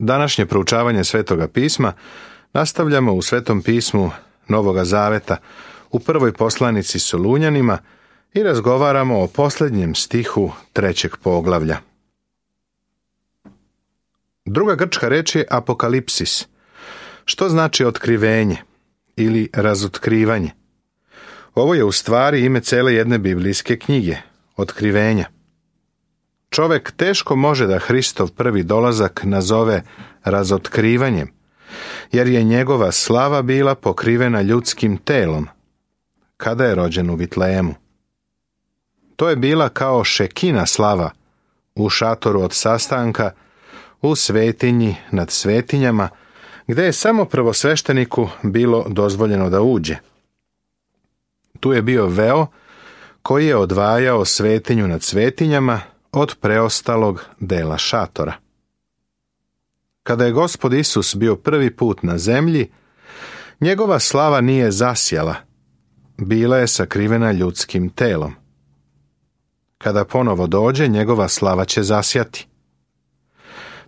Današnje proučavanje Svetoga pisma nastavljamo u Svetom pismu Novoga Zaveta u prvoj poslanici Solunjanima i razgovaramo o posljednjem stihu 3. poglavlja. Druga grčka reč je apokalipsis, što znači otkrivenje ili razotkrivanje. Ovo je u stvari ime cele jedne biblijske knjige, otkrivenja. Čovjek teško može da Hristov prvi dolazak nazove razotkrivanjem, jer je njegova slava bila pokrivena ljudskim telom, kada je rođen u Vitlejemu. To je bila kao šekina slava u šatoru od sastanka, u svetinji nad svetinjama, gdje je samo prvosvešteniku bilo dozvoljeno da uđe. Tu je bio veo koji je odvajao svetinju nad svetinjama od preostalog dela šatora. Kada je Gospod Isus bio prvi put na zemlji, njegova slava nije zasjala, bila je sakrivena ljudskim telom. Kada ponovo dođe, njegova slava će zasjati.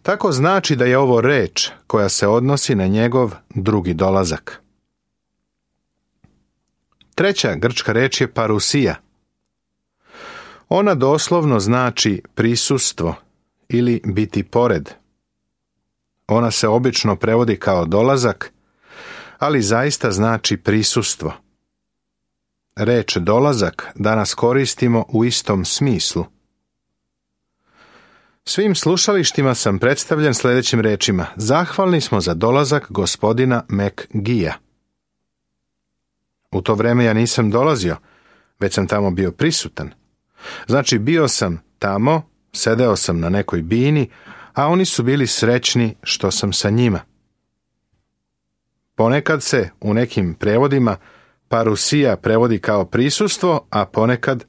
Tako znači da je ovo reč koja se odnosi na njegov drugi dolazak. Treća grčka reč je parusija. Ona doslovno znači prisustvo ili biti pored. Ona se obično prevodi kao dolazak, ali zaista znači prisustvo. Reč dolazak danas koristimo u istom smislu. Svim slušalištima sam predstavljen sljedećim rečima: zahvalni smo za dolazak gospodina McGee-a. U to vrijeme ja nisam dolazio, već sam tamo bio prisutan. Znači, bio sam tamo, sedeo sam na nekoj bini, a oni su bili srećni što sam sa njima. Ponekad se u nekim prevodima parusija prevodi kao prisustvo, a ponekad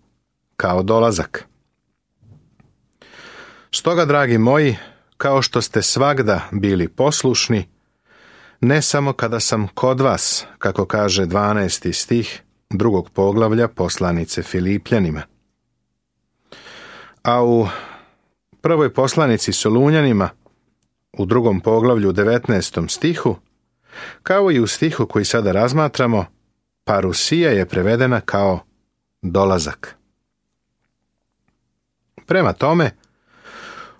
kao dolazak. Stoga, dragi moji, kao što ste svagda bili poslušni, ne samo kada sam kod vas, kako kaže 12. stih 2. poglavlja poslanice Filipljanima. A u prvoj poslanici Solunjanima, u 2. poglavlju 19. stihu, kao i u stihu koji sada razmatramo, parusija je prevedena kao dolazak. Prema tome,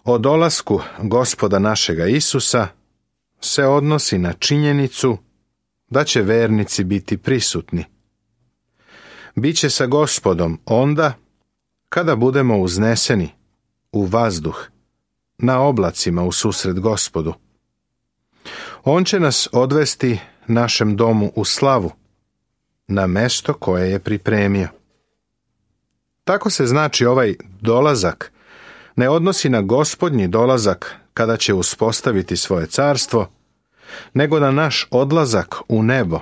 o dolasku Gospoda našega Isusa se odnosi na činjenicu da će vernici biti prisutni. Biće sa Gospodom onda kada budemo uzneseni u vazduh, na oblacima u susret Gospodu. On će nas odvesti našem domu u slavu, na mesto koje je pripremio. Tako se znači ovaj dolazak ne odnosi na Gospodnji dolazak kada će uspostaviti svoje carstvo, nego na naš odlazak u nebo,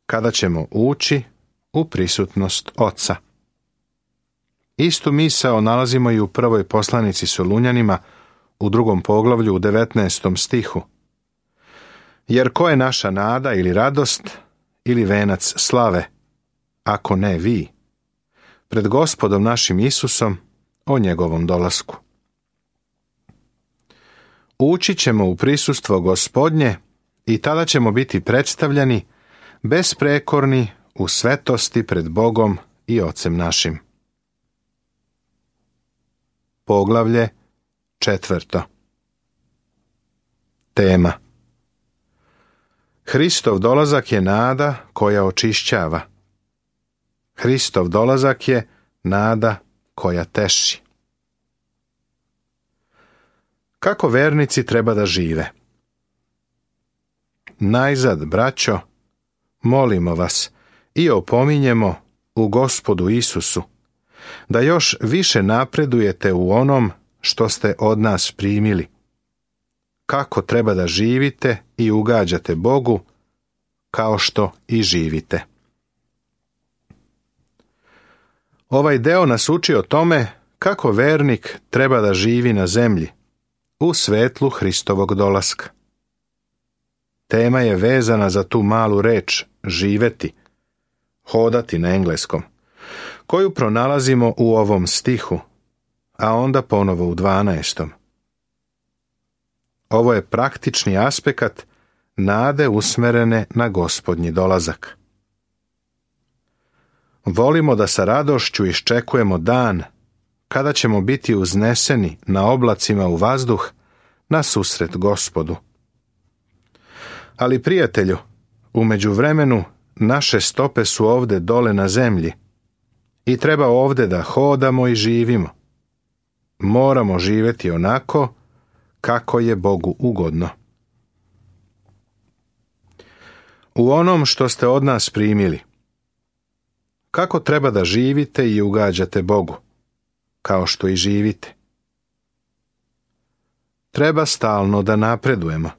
kada ćemo ući u prisutnost Oca. Istu misao nalazimo i u prvoj poslanici Solunjanima u 2. poglavlju u 19. stihu. Jer ko je naša nada ili radost ili venac slave, ako ne vi, pred Gospodom našim Isusom o njegovom dolasku. Ući ćemo u prisustvo Gospodnje i tada ćemo biti predstavljani besprekorni u svetosti pred Bogom i Ocem našim. Poglavlje 4. Tema: Hristov dolazak je nada koja očišćava. Hristov dolazak je nada koja teši. Kako vernici treba da žive? Najzad, braćo, molimo vas i opominjemo u Gospodu Isusu da još više napredujete u onom što ste od nas primili. Kako treba da živite i ugađate Bogu, kao što i živite. Ovaj deo nas uči o tome kako vernik treba da živi na zemlji, u svetlu Hristovog dolaska. Tema je vezana za tu malu reč živeti, hodati na engleskom, koju pronalazimo u ovom stihu, a onda ponovo u 12. Ovo je praktični aspekt nade usmerene na Gospodnji dolazak. Volimo da sa radošću iščekujemo dan kada ćemo biti uzneseni na oblacima u vazduh na susret Gospodu. Ali, prijatelju, u međuvremenu naše stope su ovde dole na zemlji i treba ovde da hodamo i živimo. Moramo živjeti onako kako je Bogu ugodno. U onom što ste od nas primili, kako treba da živite i ugađate Bogu, kao što i živite. Treba stalno da napredujemo.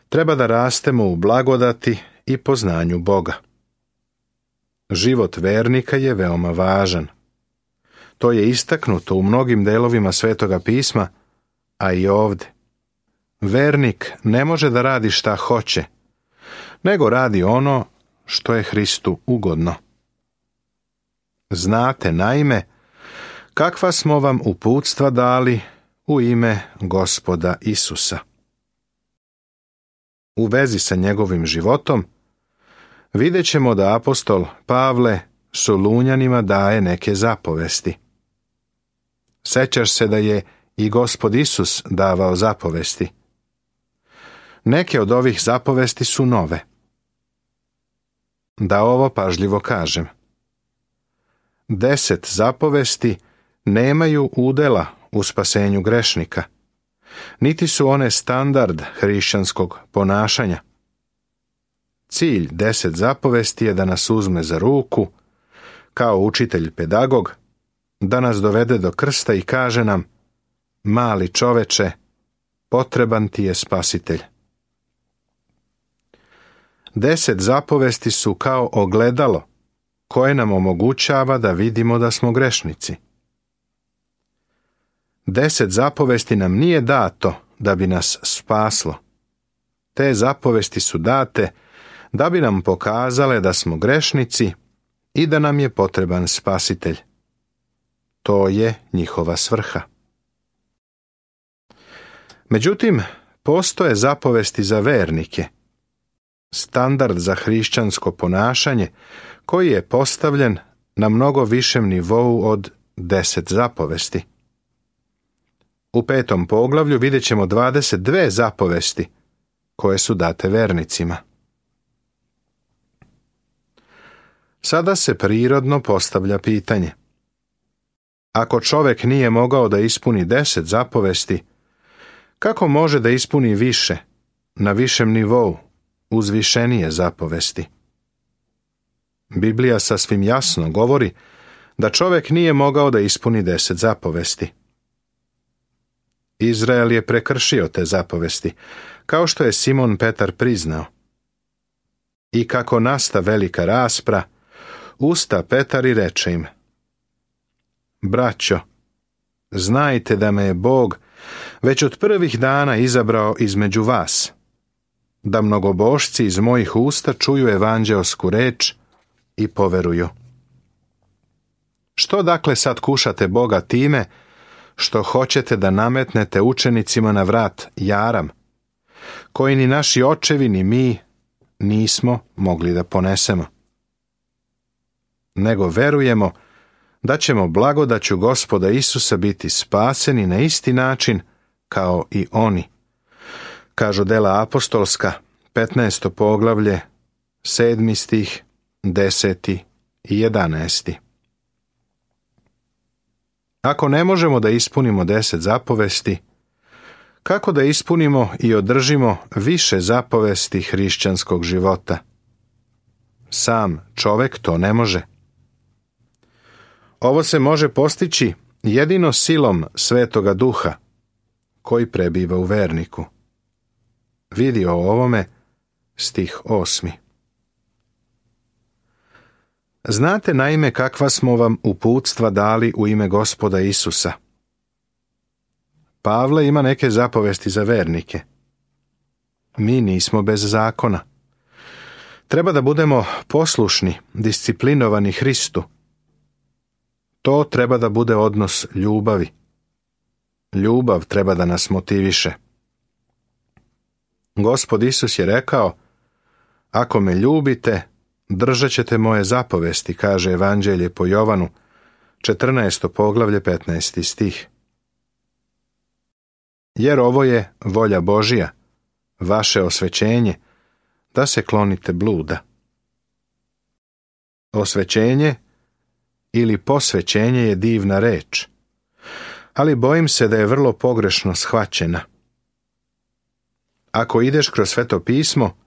Treba da rastemo u blagodati i poznanju Boga. Život vernika je veoma važan. To je istaknuto u mnogim delovima Svetoga pisma, a i ovde. Vernik ne može da radi šta hoće, nego radi ono što je Hristu ugodno. Znate, naime, kakva smo vam uputstva dali u ime Gospoda Isusa. U vezi sa njegovim životom vidjet ćemo da apostol Pavle Solunjanima daje neke zapovesti. Sećaš se da je i Gospod Isus davao zapovesti. Neke od ovih zapovesti su nove. Da ovo pažljivo kažem. 10 zapovesti nemaju udela u spasenju grešnika, niti su one standard hrišćanskog ponašanja. Cilj 10 zapovesti je da nas uzme za ruku, kao učitelj pedagog, da nas dovede do krsta i kaže nam: mali čoveče, potreban ti je spasitelj. 10 zapovesti su kao ogledalo koje nam omogućava da vidimo da smo grešnici. 10 zapovesti nam nije dato da bi nas spaslo. Te zapovesti su date da bi nam pokazale da smo grešnici i da nam je potreban spasitelj. To je njihova svrha. Međutim, postoje zapovesti za vernike, standard za hrišćansko ponašanje koji je postavljen na mnogo višem nivou od 10 zapovesti. U 5. poglavlju vidjet ćemo 22 zapovesti koje su date vernicima. Sada se prirodno postavlja pitanje: ako čovjek nije mogao da ispuni 10 zapovesti, kako može da ispuni više, na višem nivou, uzvišenije zapovesti? Biblija sasvim jasno govori da čovjek nije mogao da ispuni 10 zapovesti. Izrael je prekršio te zapovesti, kao što je Simon Petar priznao. I kako nasta velika raspra, usta Petar i reče im: braćo, znajte da me je Bog već od prvih dana izabrao između vas, da mnogobošci iz mojih usta čuju evanđeosku reč i poveruju. Što dakle sad kušate Boga time što hoćete da nametnete učenicima na vrat jaram, koji ni naši očevi ni mi nismo mogli da ponesemo? Nego verujemo da ćemo blagodaću Gospoda Isusa biti spaseni na isti način kao i oni. Kažu dela apostolska, 15. poglavlje, 7. stih, 10. i 11. Ako ne možemo da ispunimo 10 zapovesti, kako da ispunimo i održimo više zapovesti hrišćanskog života? Sam čovjek to ne može. Ovo se može postići jedino silom Svetoga Duha, koji prebiva u verniku. Vidi o ovome stih 8. Znate naime kakva smo vam uputstva dali u ime Gospoda Isusa. Pavle ima neke zapovesti za vernike. Mi nismo bez zakona. Treba da budemo poslušni, disciplinovani Hristu. To treba da bude odnos ljubavi. Ljubav treba da nas motiviše. Gospod Isus je rekao: ako me ljubite, držat ćete moje zapovesti, kaže Evanđelje po Jovanu, 14. poglavlje, 15. stih. Jer ovo je volja Božja, vaše osvećenje, da se klonite bluda. Osvećenje ili posvećenje je divna reč, ali bojim se da je vrlo pogrešno shvaćena. Ako ideš kroz Sveto pismo,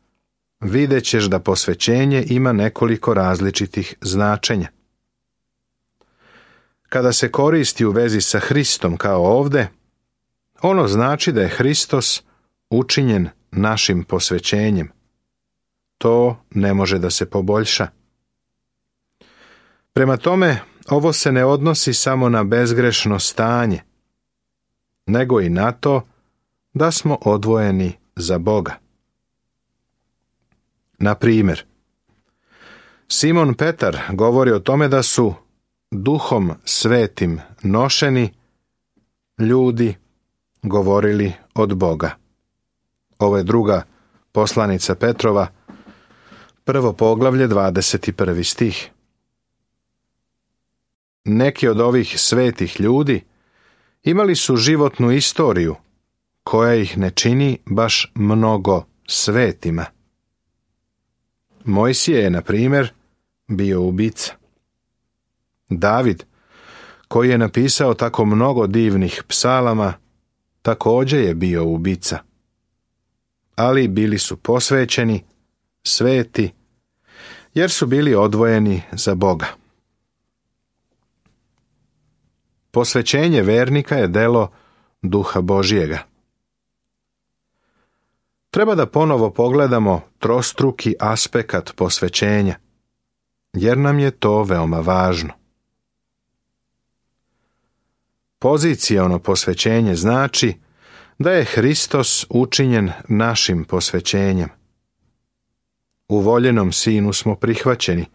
vidjet ćeš da posvećenje ima nekoliko različitih značenja. Kada se koristi u vezi sa Hristom kao ovde, ono znači da je Hristos učinjen našim posvećenjem. To ne može da se poboljša. Prema tome, ovo se ne odnosi samo na bezgrešno stanje, nego i na to da smo odvojeni za Boga. Na primjer, Simon Petar govori o tome da su Duhom Svetim nošeni ljudi govorili od Boga. Ovo je druga poslanica Petrova, 1. poglavlje, 21. stih. Neki od ovih svetih ljudi imali su životnu istoriju koja ih ne čini baš mnogo svetima. Mojsije je, na primjer, bio ubica. David, koji je napisao tako mnogo divnih psalama, također je bio ubica. Ali bili su posvećeni, sveti, jer su bili odvojeni za Boga. Posvećenje vernika je delo Duha Božjega. Treba da ponovo pogledamo trostruki aspekt posvećenja, jer nam je to veoma važno. Poziciono posvećenje znači da je Hristos učinjen našim posvećenjem. U voljenom Sinu smo prihvaćeni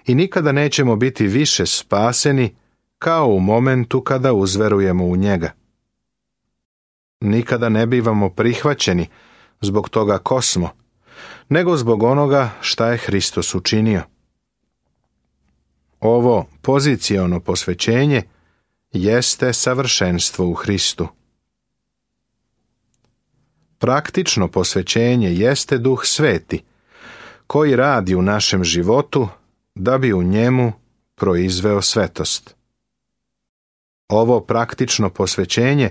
i nikada nećemo biti više spaseni kao u momentu kada uzverujemo u njega. Nikada ne bivamo prihvaćeni zbog toga ko smo, nego zbog onoga šta je Hristos učinio. Ovo poziciono posvećenje jeste savršenstvo u Hristu. Praktično posvećenje jeste Duh Sveti, koji radi u našem životu da bi u njemu proizveo svetost. Ovo praktično posvećenje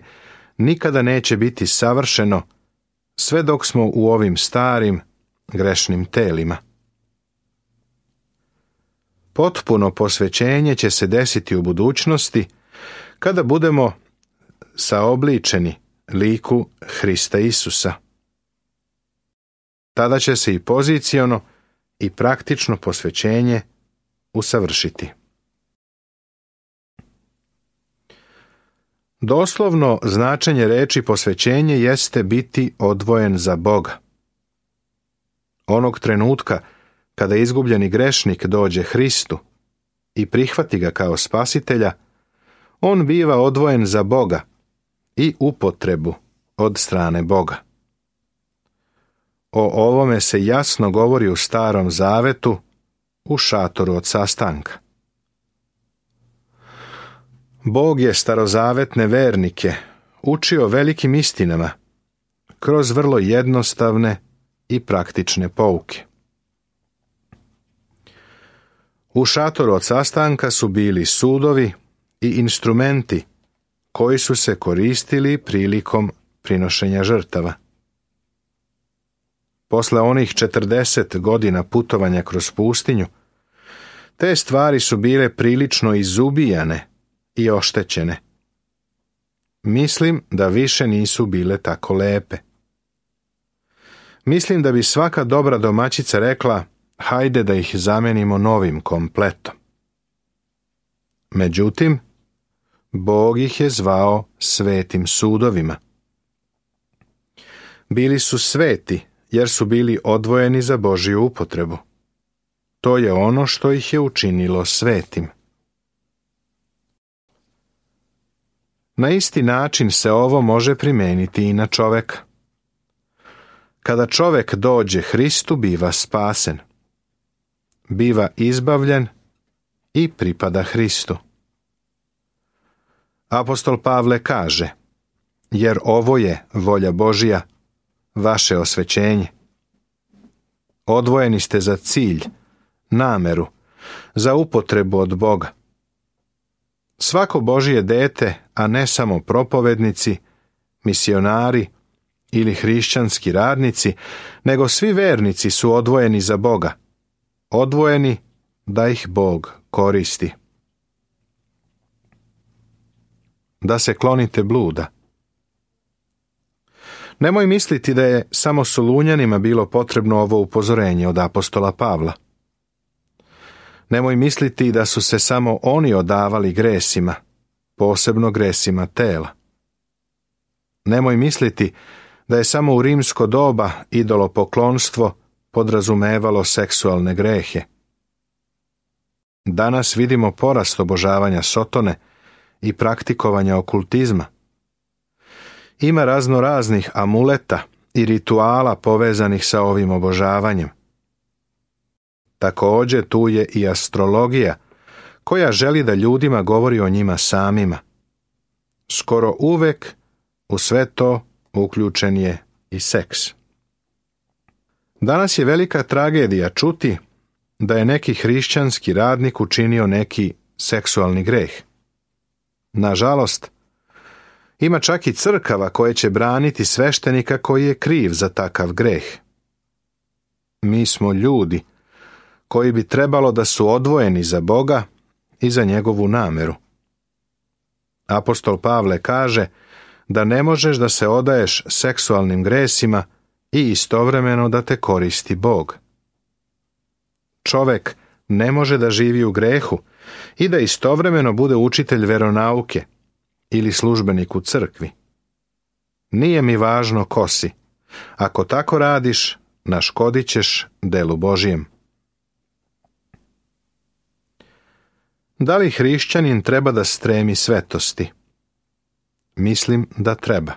nikada neće biti savršeno sve dok smo u ovim starim, grešnim telima. Potpuno posvećenje će se desiti u budućnosti kada budemo saobličeni liku Hrista Isusa. Tada će se i poziciono i praktično posvećenje usavršiti. Doslovno značenje reči posvećenje jeste biti odvojen za Boga. Onog trenutka kada izgubljeni grešnik dođe Hristu i prihvati ga kao spasitelja, on biva odvojen za Boga i upotrebu od strane Boga. O ovome se jasno govori u Starom Zavetu, u šatoru od sastanka. Bog je starozavetne vernike učio velikim istinama kroz vrlo jednostavne i praktične pouke. U šatoru od sastanka su bili sudovi i instrumenti koji su se koristili prilikom prinošenja žrtava. Posle onih 40 godina putovanja kroz pustinju, te stvari su bile prilično izubijane i oštećene. Mislim da više nisu bile tako lepe. Mislim da bi svaka dobra domaćica rekla: hajde da ih zamenimo novim kompletom. Međutim, Bog ih je zvao svetim sudovima. Bili su sveti jer su bili odvojeni za Božju upotrebu. To je ono što ih je učinilo svetim. Na isti način se ovo može primijeniti i na čoveka. Kada čovjek dođe Hristu, biva spasen. Biva izbavljen i pripada Hristu. Apostol Pavle kaže: jer ovo je volja Božja, vaše osvećenje. Odvojeni ste za cilj, nameru, za upotrebu od Boga. Svako Božje dete, a ne samo propovednici, misionari ili hrišćanski radnici, nego svi vernici su odvojeni za Boga, odvojeni da ih Bog koristi. Da se klonite bluda. Nemoj misliti da je samo Solunjanima bilo potrebno ovo upozorenje od apostola Pavla. Nemoj misliti da su se samo oni odavali gresima, posebno gresima tela. Nemoj misliti da je samo u rimsko doba idolopoklonstvo podrazumevalo seksualne grehe. Danas vidimo porast obožavanja Sotone i praktikovanja okultizma. Ima razno raznih amuleta i rituala povezanih sa ovim obožavanjem. Također tu je i astrologija, koja želi da ljudima govori o njima samima. Skoro uvek u sve to uključen je i seks. Danas je velika tragedija čuti da je neki hrišćanski radnik učinio neki seksualni greh. Nažalost, ima čak i crkava koje će braniti sveštenika koji je kriv za takav greh. Mi smo ljudi koji bi trebalo da su odvojeni za Boga i za njegovu nameru. Apostol Pavle kaže da ne možeš da se odaješ seksualnim gresima i istovremeno da te koristi Bog. Čovek ne može da živi u grehu i da istovremeno bude učitelj veronauke ili službenik u crkvi. Nije mi važno ko si. Ako tako radiš, naškodit ćeš delu Božijem. Da li hrišćanin treba da stremi svetosti? Mislim da treba.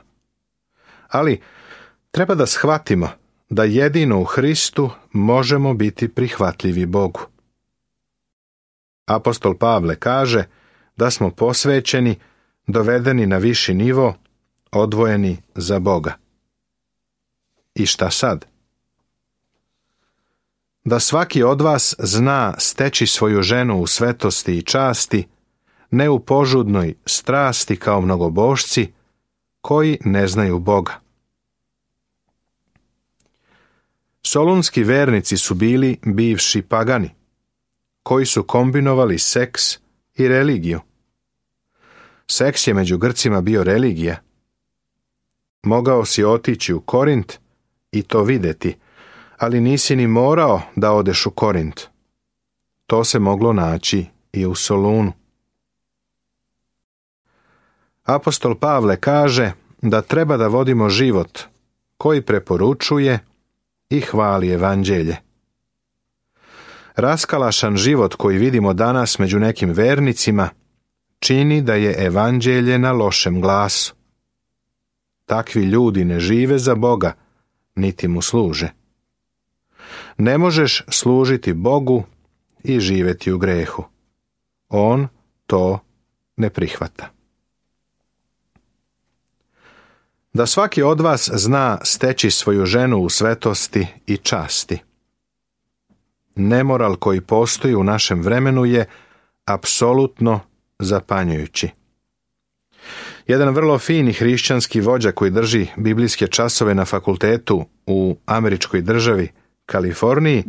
Ali treba da shvatimo da jedino u Hristu možemo biti prihvatljivi Bogu. Apostol Pavle kaže da smo posvećeni, dovedeni na viši nivo, odvojeni za Boga. I šta sad? Da svaki od vas zna steći svoju ženu u svetosti i časti, ne u požudnoj strasti kao mnogobošci, koji ne znaju Boga. Solunski vernici su bili bivši pagani, koji su kombinovali seks i religiju. Seks je među Grcima bio religija. Mogao si otići u Korint i to videti, ali nisi ni morao da odeš u Korint. To se moglo naći i u Solunu. Apostol Pavle kaže da treba da vodimo život koji preporučuje i hvali evanđelje. Raskalašan život koji vidimo danas među nekim vernicima čini da je evanđelje na lošem glasu. Takvi ljudi ne žive za Boga, niti mu služe. Ne možeš služiti Bogu i živjeti u grehu. On to ne prihvata. Da svaki od vas zna steći svoju ženu u svetosti i časti. Nemoral koji postoji u našem vremenu je apsolutno zapanjujući. Jedan vrlo fini hrišćanski vođa koji drži biblijske časove na fakultetu u američkoj državi Kaliforniji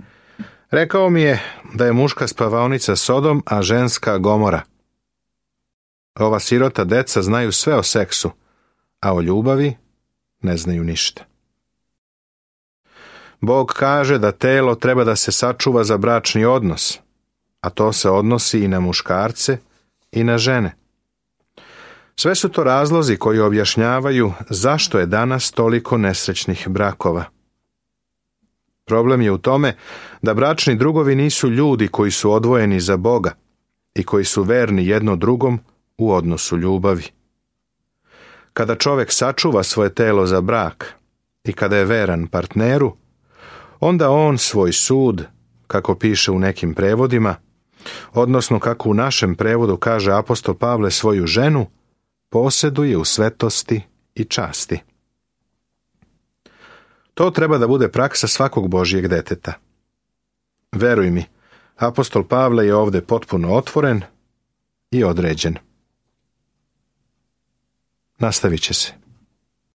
rekao mi je da je muška spavaonica Sodom, a ženska Gomora. Ova sirota deca znaju sve o seksu, a o ljubavi ne znaju ništa. Bog kaže da telo treba da se sačuva za bračni odnos, a to se odnosi i na muškarce i na žene. Sve su to razlozi koji objašnjavaju zašto je danas toliko nesrećnih brakova. Problem je u tome da bračni drugovi nisu ljudi koji su odvojeni za Boga i koji su verni jedno drugom u odnosu ljubavi. Kada čovjek sačuva svoje telo za brak i kada je veran partneru, onda on svoj sud, kako piše u nekim prevodima, odnosno kako u našem prevodu kaže apostol Pavle, svoju ženu, posjeduje u svetosti i časti. To treba da bude praksa svakog Božjeg deteta. Veruj mi, apostol Pavle je ovdje potpuno otvoren i određen. Nastavit će se.